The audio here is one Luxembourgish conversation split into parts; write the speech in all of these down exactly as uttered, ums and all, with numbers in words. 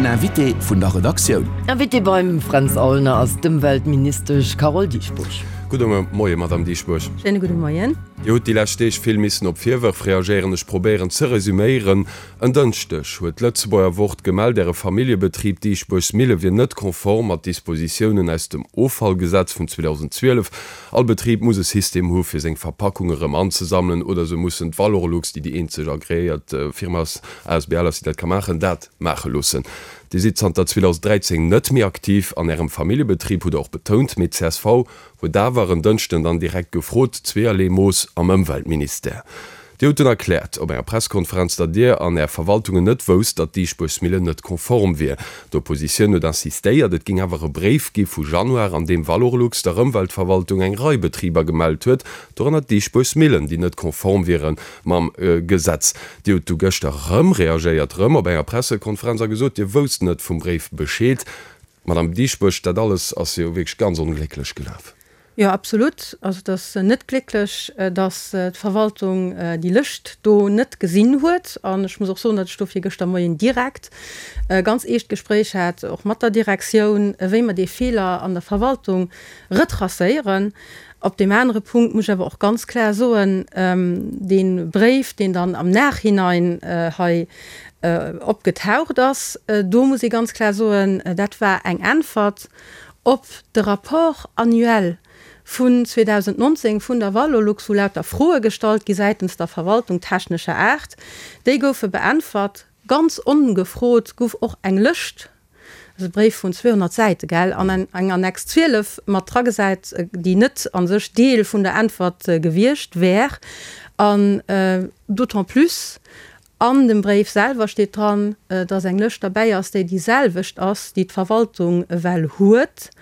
Den Invité vun der Redaktioun. Invité beim Fränz Aulner ass d'Ëmweltministesch Carole Dieschbourg. Gudde Moien, Madamm Dieschbourg. Schéine gudde Moien. Dir hutt déi lescht Deeg vill missen op Virwërf reagéieren. Ech probéieren ze resüméieren. En Dënschdeg huet d'Lëtzebuerger Wort gemellt, Äre Familljebetrib Dieschbourgs Mille wier net konform mat Dispositiounen aus dem Offallgesetz vun zweedausendzwielef. All Betrib muss e System hu fir seng Verpackunge rëm anzesammelen oder se mussen d'Valorlux, déi déi eenzeg agreéiert Firma ass, asbl ass, déi dat ka maachen, dat maache loossen. Dir sidd zanter zweedausenddräizéng net méi aktiv an Ärem Familljebetrib, hutt Der och betount. Mee d'CSV huet awer en Dënschden dann direkt gefrot, zweeërlee Mooss am Ëmweltministère. Dir hutt dunn erkläert op enger Presskonferenz, datt Dir an Är Verwaltungen net wousst, datt d'Diischbuergsmillen net konform wier. D'Oppositioun huet insistéiert, et géing awer e Bréif gi vu Januar, an deem Valorlux der Ëmweltverwaltung eng Rei Betriber gemellt huet, dorënner d'Diischbuergsmillen, déi net konform wiere mam Gesetz. Dir hutt du gëschter erëm reagéiert, erëm op enger Pressekonferenz a gesot, Dir wousst net vum Bréif Bescheed. Madame Dieschbourg, dat alles ass jo wierklech ganz onglécklech gelaf. Jo, absolut. Also et ass net glécklech, datt d'Verwaltung déi Lëscht do net gesinn huet. An ech muss och soen, datt ech dofir gëschter Moien direkt e ganz eescht Gespréich hat, och mat der Direktioun, wéi mer dee Feeler an der Verwaltung retracéieren. Op deem anere Punkt muss ech awer och ganz klar soen, dee Bréif, deen dann am Nachhinein hei opgetaucht ass, do muss ee ganz klar soen, dat war eng Äntwert op de Rapport annuel vun zweedausendnonzéng vun der Valorlux, wou lauter Froe gestallt gi säitens der Verwaltung technescher Aart. Déi goufe beäntwert. Ganz ongefrot gouf och eng Lëscht, dat ass e Bréif vun zweehonnert Säite, gell, an eng Annex zwielef mat dragesat, déi net a sech Deel vun der Äntwert gewiescht wär. An d'autant plus an dem Bréif selwer steet dran, dass eng Lëscht derbäi ass, déi déi selwecht ass, déi d'Verwaltung ewell huet,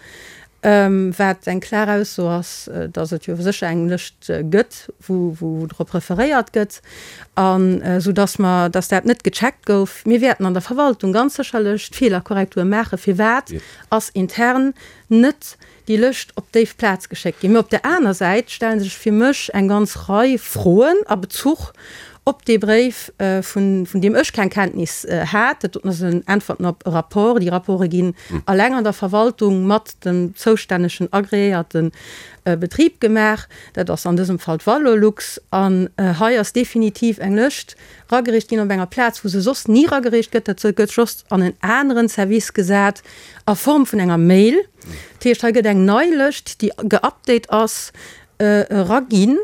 wat eng klar Ausso ass, dass et jo sécher eng Lëscht gëtt, wou drop referéiert gëtt, an esou dass mer, dass dat net gecheckt gouf. Mir wäerten an der Verwaltung ganz sécherlech d'Feelerkorrektur maachen. Firwat ass intern net déi Lëscht op déi Plaz geschéckt ginn? Mä op där aner Säit stelle sech fir mech eng ganz Rei Froen a Bezuch op dee Bréif, vun deem ech keng Kenntnis hat. Dat doten ass en Äntwerten op e Rapport. Déi Rapporte ginn alleng an der Verwaltung mat dem zoustännegen agreéierte Betrib gemaach. Dat ass an dësem Fall d'Valorlux. An hei ass definitiv eng Lëscht ragereecht ginn op enger Plaz, wou se soss ni ragereecht gëtt. Dat gëtt just an en aneren Service gesat a Form vun enger Mail. Dat heescht, hei gëtt eng nei Lëscht, déi geupdate ass, eraginn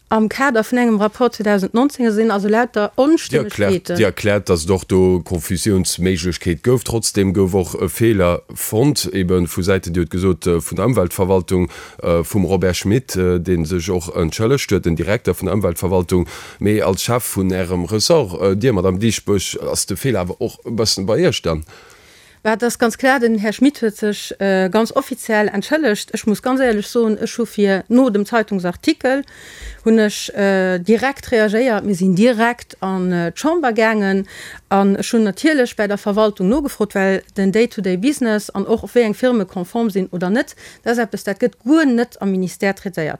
am Kader vun engem Rapport zweedausendnonzéng. Et sinn also lauter Onstëmmegkeeten. Dir erkläert, datt et och do Konfusiounsméiglechkeet gouf. Trotzdeem gouf och e Feeler fonnt, ebe vu Säiten, Dir hutt gesot, vun der Ëmweltverwaltung, vum Robert Schmit, dee sech och entschëllegt huet, den Direkter vun der Ëmweltverwaltung. Mee als Chef vun Ärem Ressort, Dir, Madamm Dieschbourg, ass de Feeler awer och e bëssen bei Iech dann? Bah, et ass ganz klar, den Här Schmit huet sech ganz offiziell entschëllegt. Ech muss ganz éierlech soen, ech hu fir no dem Zeitungsartikel hunn ech direkt reagéiert. Mir sinn direkt an d'Chamber gaangen an ech hunn natierlech bäi der Verwaltung nogefrot, well den Day-to-day-Business an och wéi eng Firme konform sinn oder net, dat ass eppes, dat gëtt guer net am Ministère traitéiert.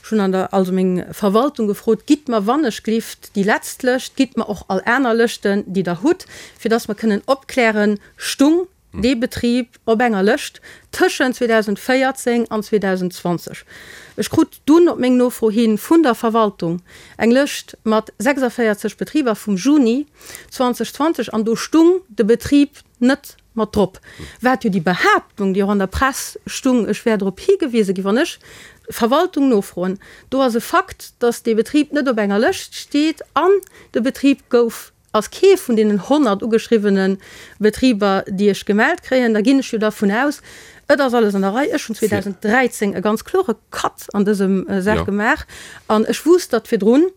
Ech hunn an der also meng Verwaltung gefrot, Gitt mer wannechglift déi letzt Lëscht, gitt mer och all aner Lëschten, déi Der hutt, fir dass mer kënnen opklären, Stung dee Betrib op enger Lëscht tëschent zweedausendvéierzéng an zweedausendzwanzeg? Ech krut dunn op meng Nofro hi vun der Verwaltung eng Lëscht mat sechsundvéierzeg Betriber vum Juni zweedausendzwanzeg an do stung de Betrib net mat drop. Wat jo déi Behaaptung, déi och an der Press stung, ech wär drop higewise ginn, wann ech d'Verwaltung nofroen, do ass e Fakt, datt dee Betrib net op enger Lëscht steet an de Betrib gouf, ass kee vun deenen honnert ugeschriwwene Betriber, déi ech gemellt kréien, da ginn ech jo dervun aus, et ass alles an der Rei. Ech hunn zweedausenddräizéng e ganz klore Cut an dësem Saach gemaach an ech wousst, datt virdrun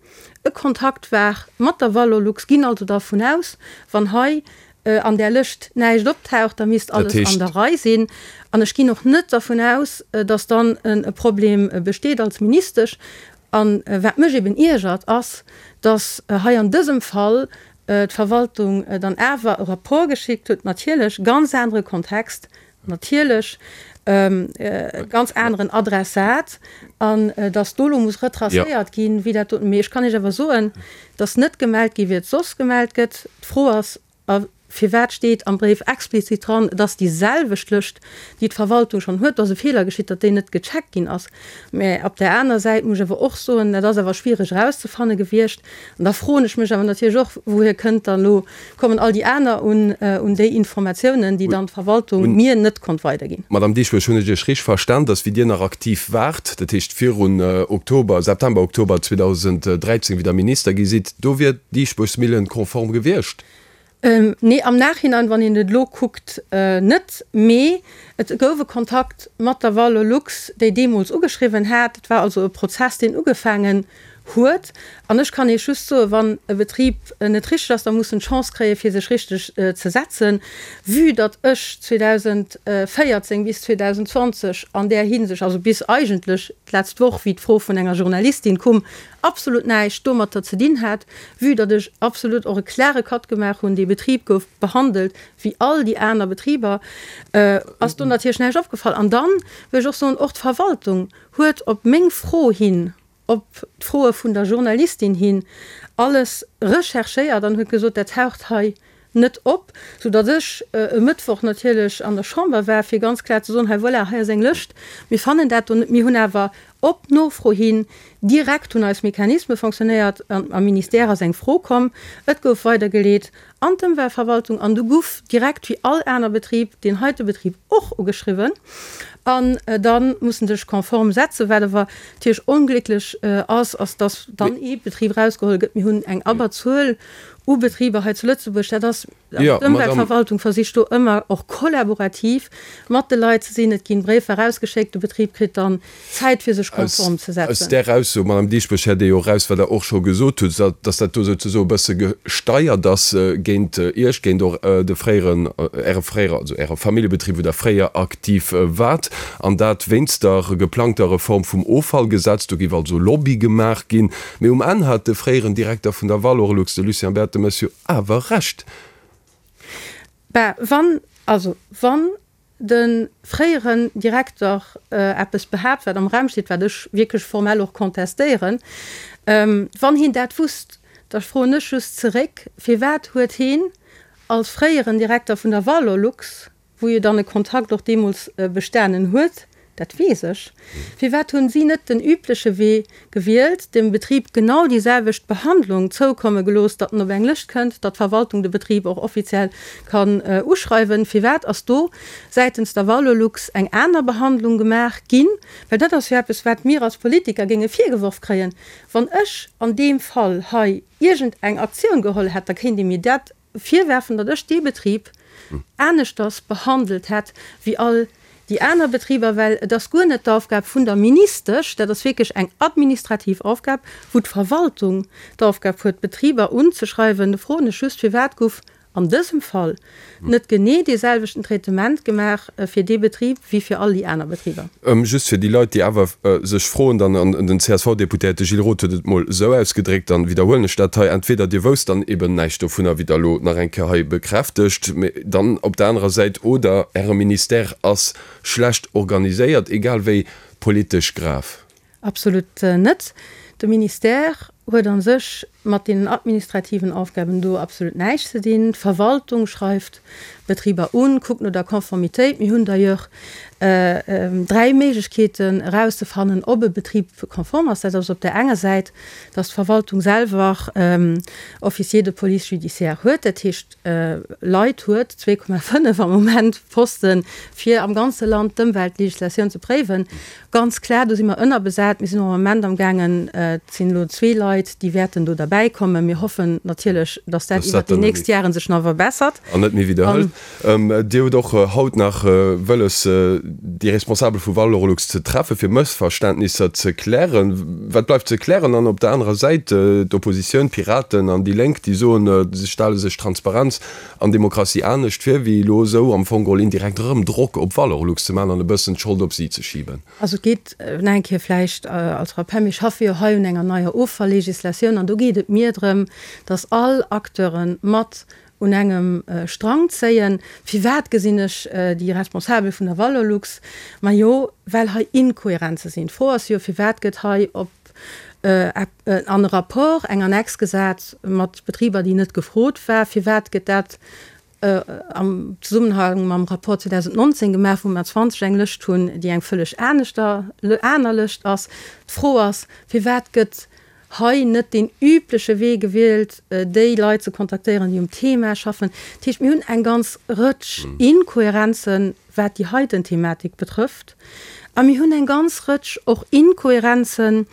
e Kontakt war mat der Valorlux, ginn also dervun aus, wann hei an där Lëscht näischt optaucht, da misst alles an der Rei sinn. An ech ginn och net dervun aus, datt dann e Problem besteet als Ministesch. A wat mech eben iergert, ass, datt hei an dësem Fall d'Verwaltung dann awer e Rapport geschickt huet, natierlech ganz anere Kontext, natierlech e ganz aneren Adressat, an datt do elo muss retracéiert ginn, wéi dat doten. Mee ech kann Iech awer soen, datt net gemellt gi wéi et soss gemellt gëtt. D'Fro ass, A Firwat steet am Bréif explizit dran, et ass déi selwecht Lëscht, déi d'Verwaltung schonn huet? Do ass e Feeler geschitt, datt déi net gecheckt ginn ass. Mä op där aner Säit muss ech awer och soen, dat ass awer schwiereg erauszefanne gewiescht. An da froen ech mech awer natierlech och, Wouhier kënnt dann elo, kommen all déi aner un un déi Informatiounen, déi dann d'Verwaltung mir net konnt weiderginn? Madame Dieschbourg, hunn ech Iech richteg verstan, datt wéi Dir nach aktiv waart, dat heescht virun Oktober, September, Oktober zweedausenddräizéng, wéi Der Minister gi sidd, do wier d'Diesburgsmillen konform gewiescht? Nee, am Nachhinein, wann een et elo kuckt, net. Mee et gouf e Kontakt mat der Valorlux, déi deemools ugeschriwwen hat. Et war also e Prozess, deen ugefaangen huet. An ech kann Iech just soen, wann e Betrib net richteg ass, da muss en d'Chance kréien, fir sech richteg ze setzen. Vue datt ech zweedausendvéierzéng bis zweedausendzwanzeg an där Hinsicht, also bis eigentlech d'letzt Woch, wéi d'Fro vun enger Journalistin koum, absolut näischt domatter ze dinn hat, vue datt ech absolut och e klare Cut gemaach hunn, dee Betrib gouf behandelt wéi all déi aner Betriber, ass do natierlech näischt opgefall. An dann wëll ech och soen, och d'Verwaltung huet op meng Fro hin, op d'Froe vun der Journalistin hin alles recherchéiert an huet gesot, dat taucht hei net op, soudatt ech e Mëttwoch natierlech an der Chamber war, fir ganz kloer ze soen, hei voilà, hei ass eng Lëscht, mir fannen dat do net. Mir hunn awer op Nofro hin direkt hunn eis Mechanisme fonctionnéiert, am Ministère ass eng Fro komm, et gouf weidergeleet an d'Ëmweltverwaltung an du guff direkt wéi all aner Betrib deen heite Betrib och ugeschriwwen an da muss en sech konform setzen. Wat awer natierlech onglécklech ass, ass datt dann ee Betrib erausgeholl gëtt. Mir hunn eng Abberzuel u Betriber hei zu Lëtzebuerg, dat ass, d'Ëmweltverwaltung versicht do ëmmer och kollaborativ mat de Leit ze sinn. Et ginn Bréifer erausgeschéckt, de Betrib kritt dann Zäit fir sech konform ze setzen. Aus där Ausso, Madame Dieschbourg, héiert ee jo eraus, wat Der och scho gesot hutt, datt dat do souzesoe e bësse gesteiert ass géint Iech, géint och de fréieren, Äre fréiere, also Äre Familljebetrib, wou Der fréier aktiv waart, an dat wéinst der geplangter Reform vum Offallgesetz. Do géif also Lobby gemaach ginn. Mee um Enn hat de fréieren Direkter vun der Valorlux, de Lucien Bertemes, jo awer Recht. Bah, wann, also wann de fréieren Direkter eppes behaapt, wat am Raum steet, wat ech wierklech formell och contestéieren, wann hien dat wusst, da froen ech just zeréck, Firwat huet hien als fréieren Direkter vun der Valorlux, wou jo dann e Kontakt och deemools bestanen huet, dat weess ech, firwat hunn si net den übleche Wee gewielt, dem Betrib genau déi selwecht Behandlung zoukomme gelooss, datt en op eng Lëscht kënnt, datt d'Verwaltung de Betrib och offiziell kann uschreiwen? Firwat ass do säitens der Valorlux eng aner Behandlung gemaach ginn? Well dat ass jo eppes, wat mir als Politiker géinge virgeworf kréien, wann ech an deem Fall hei iergend eng Aktioun geholl hätt, da kéint ee mir dat virwerfen, datt ech dee Betrib aneschters behandelt hätt wéi all déi aner Betriber, well et ass guer net d'Aufgab vun der Ministesch, dat ass wierklech eng administrativ Aufgab, wou d'Verwaltung d'Aufgab huet, d'Betriber unzeschreiwen. Do froen ech just, Firwat gouf an dësem Fall net genee dee selwechten Traitement gemaach fir dee Betrib wéi fir all déi aner Betriber? Just fir déi Leit, déi awer sech froen dann, an den C S V-Deputéierte Gilles Roth huet et mol esou ausgedréckt, dann widderhuelen ech dat hei, Entweder Dir wousst dann eben näischt dovunner, wéi Der elo nach eng Kéier hei bekräftegt, mee dann op der anerer Säit, oder Äre Ministère ass schlecht organiséiert, egal wéi politesch grav. Absolut net. De Ministère huet a sech mat deenen administrativen Aufgaben do absolut näischt ze dinn. D'Verwaltung schreift d'Betriber un, kuckt no der Konformitéit. Mir hunn d'ailleurs dräi Méiglechkeeten erauszefannen, ob e Betrib konform ass. Dat ass op där enger Säit, dass d'Verwaltung selwer Officiers de police judiciaire huet, dat heescht Leit huet, zwee Komma fënnef am Moment Posten, fir am ganze Land d'Ëmweltlegislatioun ze préiwen. Ganz klar, do si mer ënnerbesat. Mir sinn och am Moment amgaangen, et sinn elo zwee Leit, déi wäerten do derbäikommen. Mir hoffen natierlech, dass dat iwwert déi nächst Jaren sech nach verbessert. An net méi widderhëlt. Dir hutt och haut nach wëlles, déi Responsabel vu Valorlux ze treffen, fir Mëssverständnisser ze klären. Wat bleift ze klären? An op der anerer Säit d'Oppositioun, d'Piraten an déi Lénk, déi soen, si stelle sech Transparenz an Demokratie anescht vir, wéi elo esou am Fong geholl indirekt erëm Drock op Valorlux ze maachen an e bëssen d'Schold op si ze schiben. Also et geet, nach eng Kéier vläicht als Rappel, mir schaffe jo hei un enger neier Offalllegislatioun an do geet et mir drëm, dass all Acteure mat un engem Strang zéien. Firwat gesinn ech déi Responsabel vun der Valorlux? Majo, well hei Inkohärenze sinn. D'Fro ass jo, firwat gëtt hei op an e Rapport eng Annex gesat mat Betriber, déi net gefrot war? Firwat gëtt dat am Zesummenhang mam Rapport zweedausendnonzéng gemaach, wou mer zwanzeg eng Lëscht hunn, déi eng vëlleg aneschter, aner Lëscht ass. D'Fro ass, Firwat gëtt hei net deen übleche Wee gewielt, déi Leit ze kontaktéieren, déi um Thema schaffen? Dat heescht, mir hunn eng ganz Rëtsch Inkohärenzen, wat déi heiten Thematik betrëfft. A mir hunn eng ganz Rëtsch och Inkohärenzen,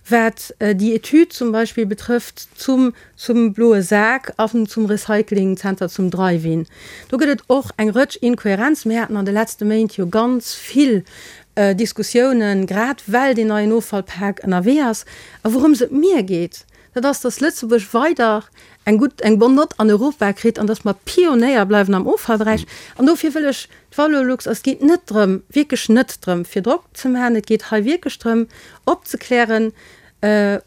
wat déi Etüd zum Beispill betrëfft zum zum bloe Sak an zum Recyclingzenter, zum Drive-in. Do gëtt et och eng Rëtsch Inkohärenzen. Mir haten an de letzte Méint jo ganz vill Diskussiounen, grad well deen neien Offallpak ënnerwee ass. A wourëms et mir geet, dat ass, dass Lëtzebuerg weider eng gutt, eng bonne note an Europa kritt an dass mer Pionéier bleiwen am Offallberäich. An dofir wëll ech d'Valorlux, et geet net drëm, wierklech net drëm, fir Drock ze maachen, et geet hei wierklech drëm, opzeklären,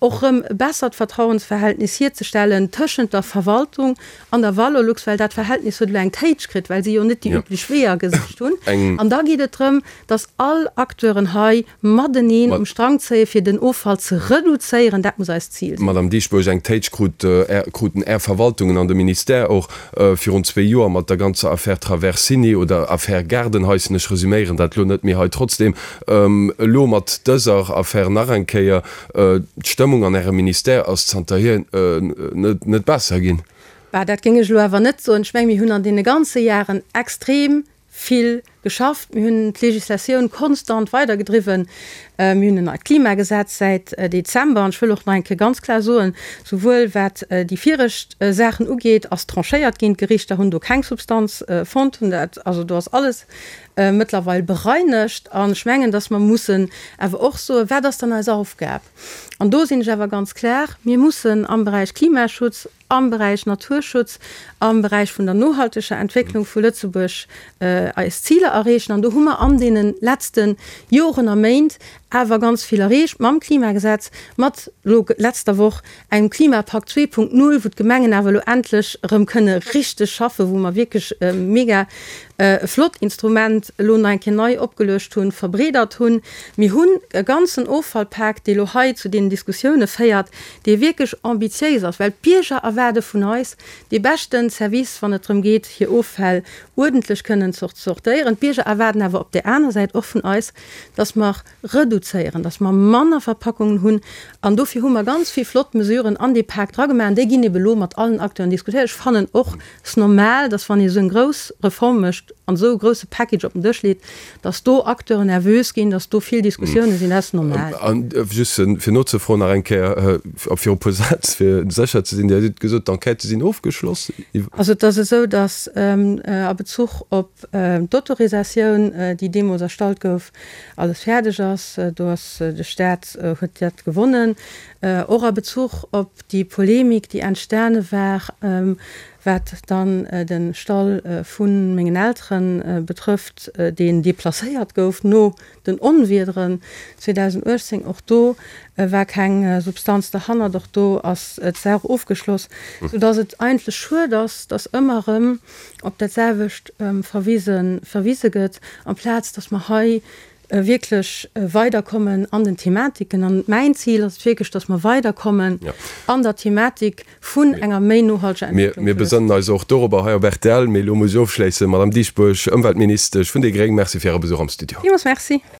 och erëm e bessert Vertrauensverhältnis hierzestellen tëschent der Verwaltung an der Valorlux, well dat Verhältnis huet elo eng Téitsch kritt, well si jo net déi üblech Weeër gesicht hunn. An da geet et drëm, dass all Acteuren hei mateneen um Strang zéien, fir den Offall ze reduzéieren. Dat muss eist Zil sinn. Madame Dieschbourg, eng Téitsch krut kruten Är Verwaltungen an de Ministère och virun zwee Joer mat der ganzer Affär Traversini oder Affär Gaardenhaischen. Ech resüméieren dat elo net, mee hei trotzdem elo mat dëser Affär nach eng Kéier. D'Stëmmung an Ärem Ministère ass zanterhier net besser ginn. Bah, dat géing ech elo awer net soen. Ech mengen, mir hunn an deene ganze Jaren extrem vill geschafft. Mir hunn d'Législatioun konstant weidergedriwwen. Mir hunn en neit Klimagesetz säit Dezember. An ech wëll och nach eng Kéier ganz klar soen, souwuel wat déi viregt Saachen ugeet, ass tranchéiert ginn. D'Gerichter hunn do keng Substanz fonnt, hunn dat, also do ass alles mëttlerweil bereinegt. An ech mengen, dass mer mussen awer och soen, Wat ass dann eis Aufgab? An do sinn ech awer ganz klar, Mir mussen am Beräich Klimaschutz, am Beräich Naturschutz, am Beräich vun der nohalteger Entwécklung vu Lëtzebuerg eis Ziler erreechen. An do hu mer an deene letzte Joren a Méint awer ganz vill erreecht mam Klimagesetz, mat elo letzter Woch engem Klimapakt zwee Punkt null, wou d'Gemengen awer elo endlech erëm kënne richteg schaffen, wou mer wierklech e mega flott Instrument elo nach eng Kéier nei opgeluecht hunn, verbreedert hunn. Mir hunn e ganzen Offallpak, dee elo hei zu deenen Diskussioune féiert, dee wierklech ambitiéis ass, well d'Bierger erwaarde vun eis dee beschte Service, wann et drëm geet, hir Offäll uerdentlech kënnen ze sortéieren. D'Bierger erwaarden awer op där aner Säit och vun eis, dass mer reduzéieren, dass mer manner Verpackungen hunn. An dofir hu mer ganz vill flott Mesuren an dee Pak dragemaach. An déi ginn ebe elo mat allen Acteuren diskutéiert. Ech fannen och es normal, dass wann ee esou eng grouss Reform mécht an esou e grousse Package op den Dësch leet, dass do Acteuren nervös ginn, dass do vill Diskussiounen sinn. Dat ass normal. An just fir nozefroen nach eng Kéier, fir e puer Sätz, fir sécher ze sinn, Dir hutt gesot, d'Enquêtë sinn ofgeschloss. Also et ass esou, dass a Bezuch op d'Autorisatioun, déi deemools erstallt gouf, alles fäerdeg ass. Do ass de Staat huet dat gewonnen. Och a Bezuch op déi Polemik, déi entstane war, wat dann de Stall vu mengen Eltere betrëfft, deen deplacéiert gouf no den Onwiederen zweedausenduechtzéng, och do war keng Substanz derhannert, och do ass d'Saach ofgeschloss, soudass et eigentlech schued ass, dass ëmmer erëm op dat selwecht verwise verwise gëtt, amplaz dass mer hei wierklech weiderkommen an den Thematiken. An mäin Zil ass et wierklech, dass mer weiderkommen an der Thematik vun enger méi nohalteger Entwécklung. Mir besënnen eis och dorobber hei op rtl. Mee elo muss ech ofschléissen. Madame Dieschbourg, Ëmweltministesch vun déi gréng, Merci fir Äre Besuch am Studio. Villmools Merci.